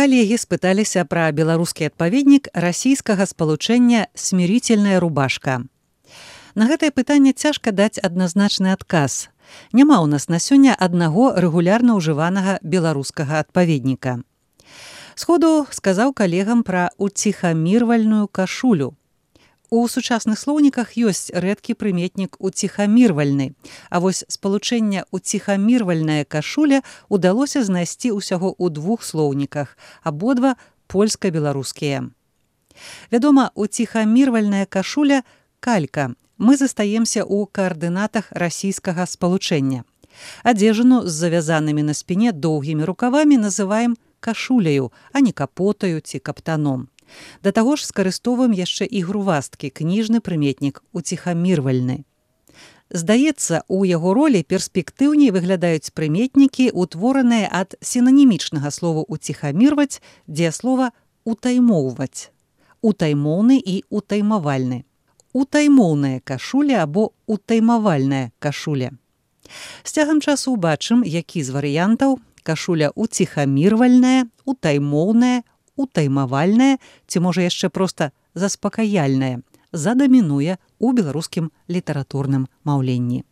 Калегі спыталіся пра беларускі адпаведнік расійскага спалучэння «Смирительная рубашка». На гэтае пытанне цяжка даць адназначны адказ. Няма ў нас на сёння аднаго рэгулярна ўжыванага беларускага адпаведніка. Сходу сказаў калегам пра уціхамірвальную кашулю. У сучасных слоўніках ёсць рэдкі прыметнік уціхамірвальны, а вось спалучэнне уціхамірвальная кашуля ўдалося знайсці ўсяго ў двух слоўніках, абодва польска-беларускія. Вядома, уціхамірвальная кашуля – калька. Мы застаемся ў каардынатах расійскага спалучэння. Адзежыну з завязанымі на спіне доўгімі рукавамі называем кашуляю, а не капотаю ці каптаном. Да таго ж скарыстоўваем яшчэ і грувасткі, кніжны прыметнік уціхамірвальны. Здаецца, у яго ролі перспектыўней выглядаюць прыметнікі, утвораныя ад сінанімічнага слова «уціхамірваць», дзеяслова «утаймоўваць». Утаймоўны і утаймавальны. Утаймоўная кашуля або утаймавальная кашуля. З цягам часу убачым, які з варыянтаў кашуля уціхамірвальная, утаймоўная, утаймавальная, ці можа яшчэ проста заспакаяльная, задамінуе ў беларускім літаратурным маўленні.